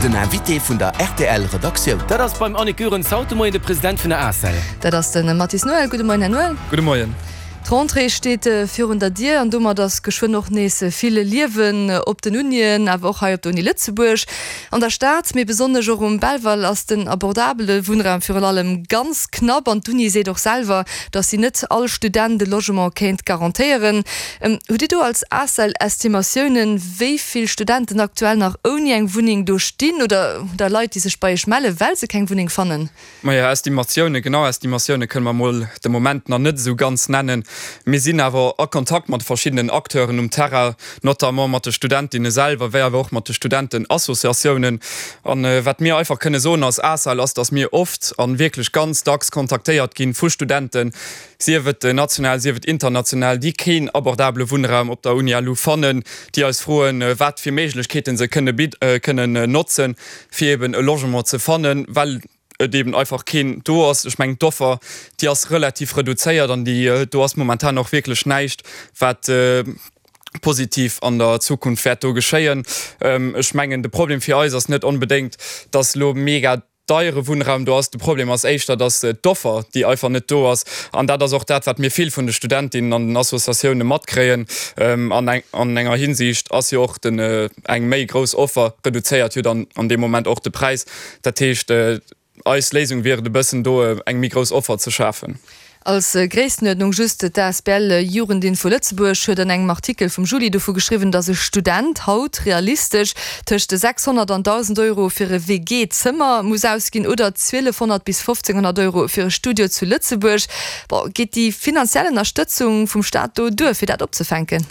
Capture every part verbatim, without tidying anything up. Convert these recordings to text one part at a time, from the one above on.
Den Invité vun der R T L Redaktioun. Dat ass beim Annick Goerens haut de Moien de President vun der ACEL. Dat ass de Mathis Noël. Gudde Moien, Här Noël. Gudde Moien. D'Rentrée steet virun der Dier an domat ass geschwënn och nees vill Liewen op den Unien, awer och hei op der Uni Lëtzebuerg. An der Stad, mee besonnesch och um Belval, ass den abordabele Wunnraum virun allem ganz knapp an d'Uni seet och selwer, datt si net all Student e Logement kéint garantéieren. Hutt Dir do als ACEL Estimatiounen, wéi vill Studenten aktuell nach ouni eng Wunneng do stinn oder oder Leit, déi sech bei Iech mellen, well se keng Wunneng fannen? Majo, Estimatioune, genau Estimatioune kënne mer mol de Moment nach net esou ganz nennen. Mir sinn awer a Kontakt mat verschiddenen Acteuren um Terrain, notamment mat de Studentinne selwer, wéi awer och mat de Studentenassociatiounen. An wat mir einfach kënne soen als ACEL ass, datt mir oft a wierklech ganz dacks kontaktéiert gi vu Studenten, sief et national, sief et international, déi keen abordabele Wunnraum op der Uni L U fannen, déi eis froen, wat fir Méiglechkeete se kënne kënnen notzen, fir eben e Logement ze fannen, well et eben einfach keen do ass. Ech mengen, d'Offer, déi ass relativ reduzéiert an déi do ass momentan och wierklech näischt, wat positiv an der Zukunft wäert do geschéien. Ech mengen, de Problem fir eis ass net onbedéngt, dass elo mega deiere Wunnraum do ass. De Problem ass éischter, dass d'Offer, déi einfach net do ass. An dat ass och dat, wat mir vill vun de Studentinnen an den Associatioune matkréien. An an enger Hinsicht ass jo och den eng méi grouss Offer reduzéiert jo dann an deem Moment och de Präis. Dat heescht, eis Léisung wier et e bëssen do eng méi grouss Offer ze schafen. Als Gréisstenuerdnung just, D'A S B L Jugendinfo Lëtzebuerg huet an engem Artikel vum Juli dovu geschriwwen, datt e Student haut realistesch tëscht sechshonnert an dausend Euro fir e W G-Zëmmer muss ausginn oder zwielefhonnert bis fofzénghonnert Euro fir e Studio zu Lëtzebuerg. Bon, geet déi finanziell Ënnerstëtzung vum Staat do duer, fir dat opzefänken?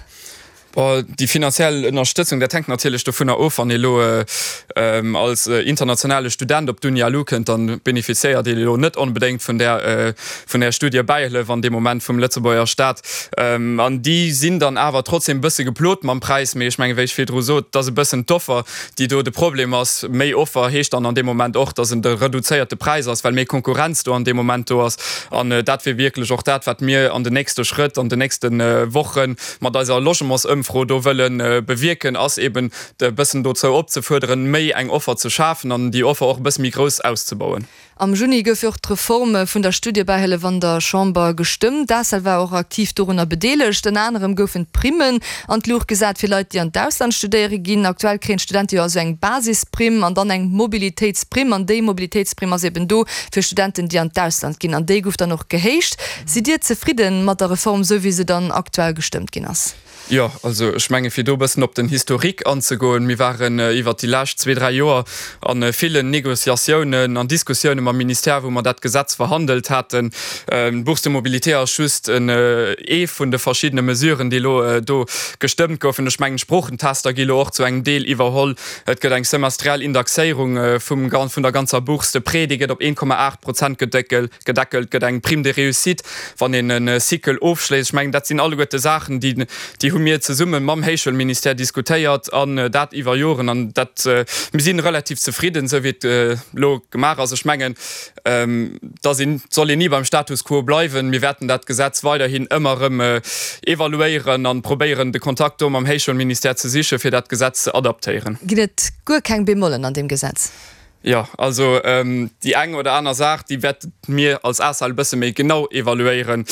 Bon, déi finanziell Ënnerstëtzung, dat hänkt natierlech dovunner of, wann ee elo als internationale Student op d'Uni L U kënnt, dann benefizéiert ee elo net onbedéngt vun där vun där Studiebäihëllef an deem Moment vum Lëtzebuerger Staat. An déi sinn dann awer trotzdem e bësse geplot mam Präis. Mee ech mengen, wéi ech virdru sot, et ass e bëssen d'Offer, déi do de Problem ass. Méi Offer heescht dann an deem Moment och, dass en de reduzéierte Präis ass, well méi Konkurrenz do an deem Moment do ass. An dat wier wierklech och dat, wat mir an den nächste Schrëtt, an den nächste Woche mat eiser Logementsëmfro do wëlle bewierken, ass eben e bëssen dozou opzefuerderen, méi eng Offer ze schafen an déi Offer och e bësse méi grouss auszebauen. Am Juni gouf jo och d'Reform vun der Studiebäihëllef an der Chamber gestëmmt. D'ACEL war och aktiv dorunner bedeelegt. Ënner anerem goufen d'Primmen an d'Luucht gesat fir Leit, déi an d'Ausland studéiere ginn. Aktuell kréien d'Studente jo also eng Basisprimm an dann eng Mobilitéitsprimm. An déi Mobilitéitsprimm ass eben do fir Studenten, déi an d'Ausland ginn. An déi gouf dann och gehéicht. Sidd Dir zefridde mat der Reform, esou wéi se dann aktuell gestëmmt ginn ass? Jo, also ech menge fir do e bëssen op den Historique anzegoen, mir waren iwwert déi lescht zwee, dräi Joer a villen Négociatiounen an Diskussioune mam Ministère, wou mer dat Gesetz verhandelt haten. D'Bourse de mobilité ass just ee vun de verschiddene Mesuren, déi elo do gestëmmt goufen. Ech mengen, d'Sproochentester gi elo och zu engem Deel iwwerholl. Et gëtt eng semestriell Indexéierung vum vun der ganzer Bourse. De Prêt, dee gëtt op een Komma aacht Prozent gedeckelt. Et gëtt eng Prime de réussite, wann een e Cycle ofschléisst. Ech mengen, dat sinn alleguerte Saachen, déi déi hu mir zesumme mam Héichschoulministère diskutéiert an dat iwwer Joren. An dat, mir si relativ zefridden, esou wéi et elo gemaach ass. Ech mengen, dass een, et soll een ni beim Status quo bleiwen. Mir wäerten dat Gesetz weiderhin ëmmer erëm evaluéieren an probéieren, de Kontakt do mam Héichschoulministère ze sichen, fir dat Gesetz ze adaptéieren. Ginn et guer keng Bemollen an deem Gesetz? Jo, also déi eng oder aner Saach, déi wäerte mir als ACEL e bësse méi genau evaluéieren.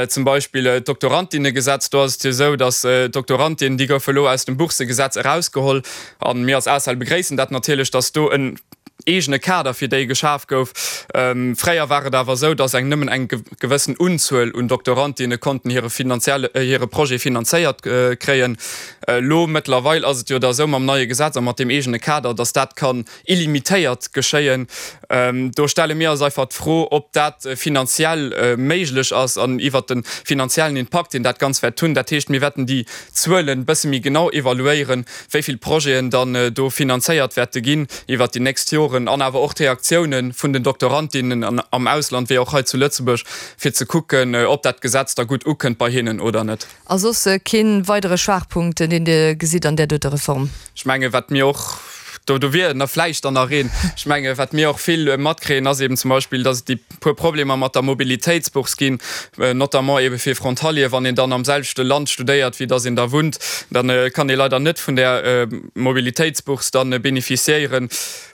Zum Beispill d'Doktorantinnegesetz, do ass et jo esou, datt d'Doktorantinnen, déi goufe elo aus dem Boursegesetz erausgeholl. A mir als ACEL begréissen dat natierlech, datt do en eegene Kader fir déi geschaf gouf. Fréier war et awer esou, datt eng nëmmen eng gewëssen Unzuel un Doktorantinne konnten hire finanzielle, hire Projet finanzéiert kréien. Elo mëttlerweil ass et jo da esou mam neie Gesetz a mat deem eegene Kader, datt dat kann illimitéiert geschéien. Do stelle mir eis einfach d'Fro, ob dat finanziell méiglech ass an iwwert de finanziellen Impakt, deen dat Ganz wäert hunn. Dat heescht, mir wäerten déi Zuelen e bësse méi genau evaluéieren, wéi vill Projeten dann do finanzéiert wäerte ginn iwwert déi nächst Joren an awer och d'Reaktiounen vun den Doktorandinnen am Ausland wéi och hei zu Lëtzebuerg, fir ze kucken, ob dat Gesetz da gutt ukënnt bei hinnen oder net. A soss kee weidere Schwaachpunkt, deen Dir gesitt an där doter Reform? Ech menge wat mir och do, do wier nach vläicht dann nach een. Ech menge wat mir och vill matkréien ass eben zum Beispill, dass et déi puer Problemer mat der Mobilitéitsbourse ginn, notamment ebe fir Frontalier, wann een dann am selwechte Land studéiert wéi dass een da wunnt, dann kann ee leider net vun där Mobilitéitsbourse dann bénéficiéieren.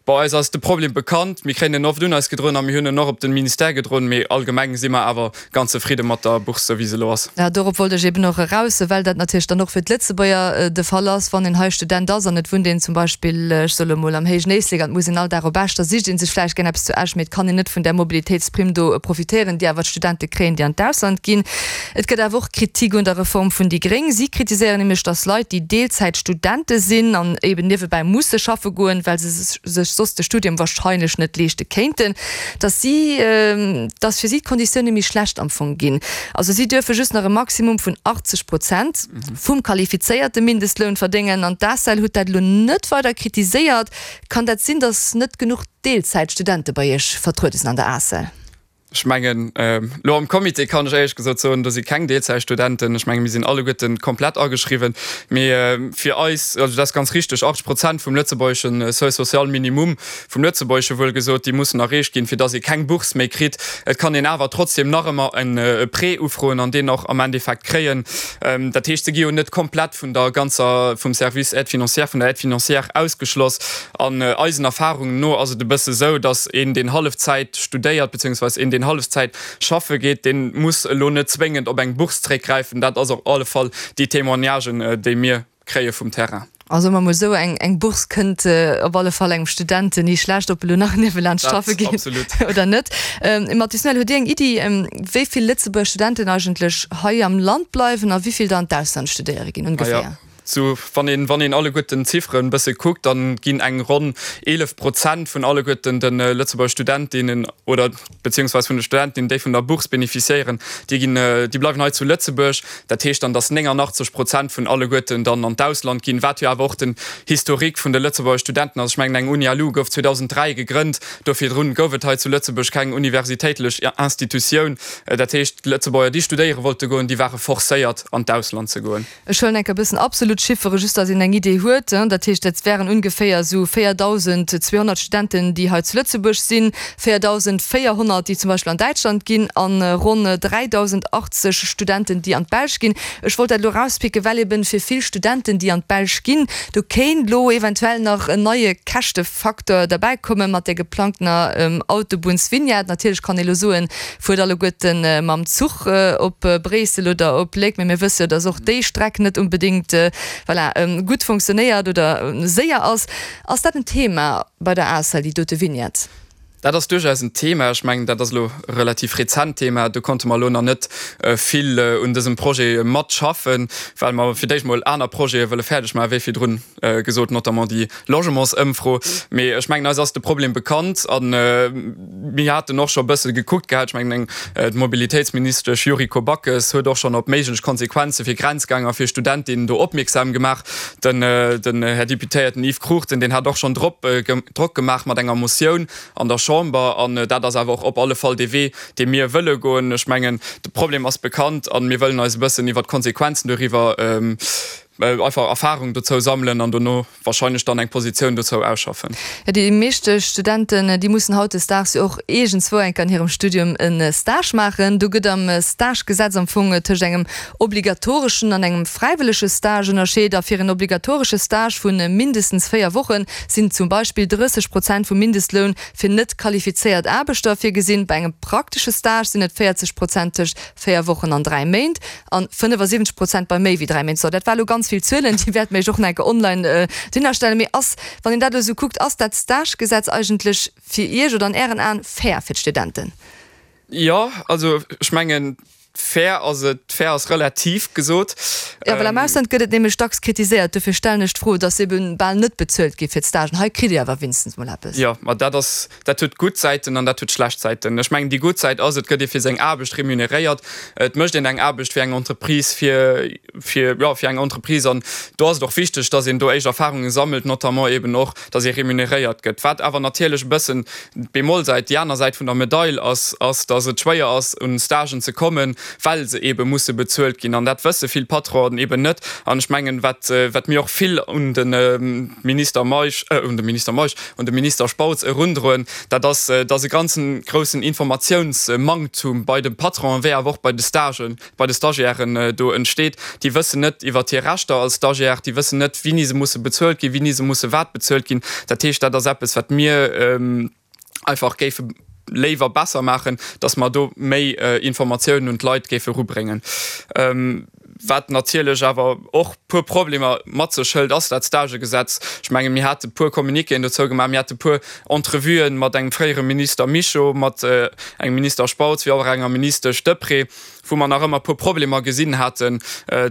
Bon, eis ass de Problem bekannt, mir kréien en oft un eis gedroen a mir hunn en och op de Ministère gedroen, mee allgemeng si mer awer ganz zefridde mat der Bourse, sou wéi se elo ass. Ja, dorop wollt ech eben och eraus, well dat natierlech dann och fir d'Lëtzebuerger de Fall ass, wann een hei Student ass an et wunnt een zum Beispill, ech soe lo mol, am Héijen Éislek an et muss een all Dag op Esch, da sicht ee sech vläicht gär eppes zu Esch, mee et kann een net vun där Mobilitéitsprimm do profitéieren, déi awer d'Studente kréien, déi an d'Ausland ginn. Et gëtt awer och Kritik un der Reform vun déi Gréng. Si kritiséieren nämlech, datt Leit, déi Deelzäitstudente sinn an eben niewebäi musse schaffe goen, well se sech soss de Studium wahrscheinlech net leeschte kéinten, dass si, dass fir si d'Konditioune méi schlecht am Fong ginn. Also si duerfe just nach e Maximum vun achtzeg Prozent vum qualifizéierte Mindestloun verdéngen. An d'ACEL huet dat elo net weider kritiséiert. Kann dat sinn, dass net genuch Deelzäitstudente bei Iech vertruede sinn an der ACEL? Ech mengen, elo am Comité kann ech éierlech gesot soen, do si keng Deelzäitstudenten. Ech menge mir sinn alleguerten komplett ageschriwwen. Mee fir eis, also dat ass ganz richteg, achtzeg Prozent vum lëtzebuergesche Seuil social minimum, vum lëtzebuergesche wuel gesot, déi mussen erreecht ginn, fir datt ee keng Bourse méi kritt. Et kann een awer trotzdem nach ëmmer e Prêt ufroen an deen och am Endeffekt kréien. Dat heescht, se gi jo net komplett vun der ganzer, vum Service Aide financière, vun der Aide financière ausgeschloss. An eisen Erfahrungen no ass et e bësse sou, datt een, deen Hallefzäit studéiert, beziehungsweise een, deen Hallefzäit schaffe geet, dee muss elo net zwéngend op eng Bourse zréckgräifen. Dat ass op alle Fall déi Témoignagen, déi mir kréie vum Terrain. Also soe mer mol esou, eng Bourse kënnt op alle Fall engem Student ni schlecht, ob e lo nach niewelaanscht schaffe geet oder net. Mathis Noël, hutt Dir eng Iddi, wéi vill Lëtzebuerger Studenten eigentlech hei am Land bleiwen a wéi vill der an d'Ausland studéiere ginn ongeféier? Sou, wann een, wann een alleguerten d'Zifferen e bësse kuckt, dann ginn eng ronn eelef Prozent vun alleguerten de Lëtzebuerger Studentinnen oder beziehungsweise vun de Studentinnen, déi vun der Bourse bénéficiéieren, déi ginn, déi bleiwen hei zu Lëtzebuerg. Dat heescht dann, dass néngannachtzeg Prozent vun alleguerten dann an d'Ausland ginn, wat jo awer och den Historique vun de Lëtzebuerger Studenten ass. Ech mengen, eng UniLu gouf zweedausenddräi gegrënnt, do virdrun gouf et hei zu Lëtzebuerg keng universitéitlech Institutioun. Dat heescht, d'Lëtzebuerger, déi studéiere wollte goen, déi ware forcéiert an d'Ausland ze goen. Ech huelen enk e bëssen absolut Chiffere, just datt een eng Idee huet. Dat heescht, dat wären ongeféier esou véierdausend zweehonnert Studenten, déi hei zu Lëtzebuerg sinn, véierdausend véierhonnert, déi zum Beispill an Däitschland ginn, a ronn dräidausend achtzeg Studenten, déi an d'Belsch ginn. Ech wollt dat elo erauspicken, well eben fir vill Studenten, déi an d'Belsch ginn, do kéint elo eventuell nach en neie Käschtefacteur derbäikomme mat där geplangtener Autobunnsvignette. Natierlech kann ee elo soen, Fuert alleguerten mam Zuch op Bréissel oder op Léck, mee mir wësse jo, dass och déi Streck net unbedéngt, voilà, gutt funktionéiert oder séier ass. Ass dat en Thema bei der ACEL, déi dote Vignette? Dat ass duerchaus en Thema. Ech mengen, dat ass elo e relativ rezent Thema. Do konnte mer elo nach net vill un dësem Projet matschaffen, well mer fir d'éischt mol aner Projete wëlle fäerdeg maachen, wéi virdrun gesot, notamment déi Logementsëmfro. Mee ech mengen, eis ass de Problem bekannt a mir haten och scho e bësse gekuckt gehat. Ech mengen, d'Mobilitéitsministesch Yuriko Backes huet och schonn op méiglech Konsequenze fir Grenzgänger, fir Studentinnen do opmierksam gemaach. Den Här Deputéierten Yves Cruchten, deen hat och schonn drop Drock gemaach mat enger Motioun an der Chamber. An dat ass awer och op alle Fall dee Wee, dee mir wëlle goen. Ech mengen, de Problem ass bekannt a mir wëllen eis e bëssen iwwert d'Konsequenzen doriwwer einfach Erfahrung dozou sammelen an dono wahrscheinlech dann eng Positioun dozou ausschaffen. Jo, déi meeschte Studenten, déi mussen hautdesdaags jo och iergendzwou enk an hirem Studium e Stage maachen. Do gëtt am Stagegesetz am Fong tëscht engem obligatoreschen an engem fräiwëllege Stage ënnerscheet. A fir en obligatoresche Stage vu mindestens véier Woche sinn zum Beispill drësseg Prozent vum Mindestloun fir net qualifizéiert Aarbechter virgesinn. Bei engem praktesche Stage sinn et véierzeg Prozent tëscht véier Wochen an dräi Méint an fënnefasiwwenzeg Prozent bei méi wéi dräi Méint. So, dat war elo ganz vill Zuelen, déi wäerte mir iech och nach eng Kéier online dohinnerstellen. Mee ass, wann een dat elo esou kuckt, ass dat Stagegesetz eigentlech fir Iech oder an Ären Aen fair fir d'Studenten? Jo, also ech mengen, fair ass et, fair ass relativ gesot. Jo, well am Ausland gëtt et nämlech dacks kritiséiert, dofir stellen ech d'Fro, dass ebe bal net bezuelt gi fir d'Stagen. Hei kritt Dir awer wéinstens mol eppes. Jo, ma dat ass, dat huet gutt Säiten an dat huet schlecht Säiten. Ech mengen, déi gutt Säit ass, et gëtt ee fir seng Aarbecht remuneréiert. Et mécht een eng Aarbecht fir eng Entreprise, fir, fir, jo, fir eng Entreprise. An do ass et och wichteg, dass een do éischt Erfahrunge sammelt, notamment eben och, dass ee remuneréiert gëtt. Wat awer natierlech e bëssen d'Bemollsäit, déi aner Säit vun der Medail ass, ass, dass et schwéier ass, un Stagen ze kommen. well se eebe musse bezuelt ginn. An dat wësse vill Patronen eeben net. An ech mengen, wat, wat mir och vill un de Minister Meisch, un de Minister Meisch, un de Minister Spautz erundroen, dat ass, dass e ganzen groussen Informatiounsmanktum bei de Patronen wéi awer och bei de Stagen, bei de Stagiairen do entsteet. Déi wëssen net iwwert hir Rechter als Stagiaire, déi wëssen net, wéini se musse bezuelt ginn, wéini se musse wat bezuelt ginn. Dat heescht, dat ass eppes, wat mir einfach géife léiwer besser maachen, dass mer do méi Informatiounen un d'Leit géife erubréngen. Wat natierlech awer och puer Problemer mat sech hëlt, ass dat Stagegesetz. Ech mengen, mir hate puer Communiquéen dozou gemaach, mir hate puer Entrevuen mat engem fréiere Minister Mischo, mat engem Minister Spautz wéi och enger Ministesch Deprez, wou mer nach ëmmer puer Problemer gesinn haten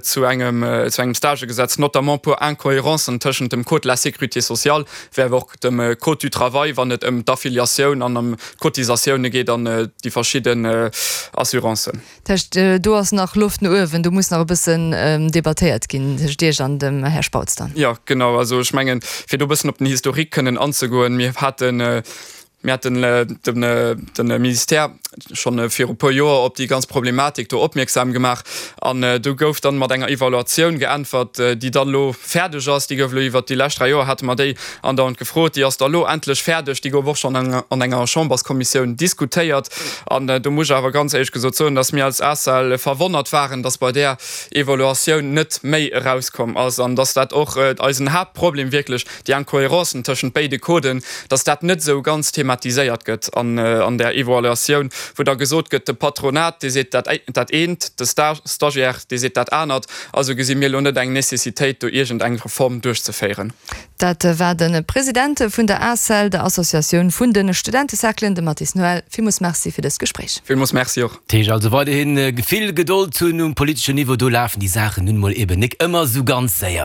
zu engem, zu engem Stagegesetz, notamment puer Incohérencen tëschent dem Code de la sécurité sociale wéi awer och dem Code du travail, wann et ëm d'Affiliatioun an ëm d'Cotisatioune geet an déi verschidden Assurancen. Dat heescht, do ass nach Loft no uewen, do muss nach e bëssen debattéiert ginn tëscht Iech an dem Här Spautz dann. Jo, genau. Also ech mengen, fir do e bëssen op den Historique kënnen anzegoen, mir haten, mir haten de Ministère schonn viru puer Joer op déi ganz Problematik do opmierksam gemaach an do gouf dann mat enger Evaluatioun geäntwert, déi dann elo fäerdeg ass. Déi gouf elo iwwert déi lescht dräi Joer hate mer déi andauernd gefrot. Déi ass da elo endlech fäerdeg. Déi gouf och schonn an enger Chamberskommissioun diskutéiert. An do muss ech awer ganz éierlech gesot soen, dass mir als ACEL verwonnert waren, dass bei där Evaluatioun net méi erauskomm ass an dass dat och eisen Haaptproblem wierklech, déi Incohérencen tëschent béide Coden, dass dat net esou ganz thematiséiert gëtt an där Evaluatioun, wou da gesot gëtt, de Patronat, dee seet dat dat eent, de Stagiaire, dee seet dat anert. Also gesi mir elo net eng Nécessitéit, do iergend eng Reform duerchzeféieren. Dat war de President vun der ACEL, der Associatioun vun de Studentecerclen, de Mathis Noël. Villmools Merci fir dëst Gespréich. Villmools Merci och. Dat heescht also weiderhi vill Gedold hunn um politeschen Niveau, do lafen déi Saachen nun emol eben nik ëmmer esou ganz séier.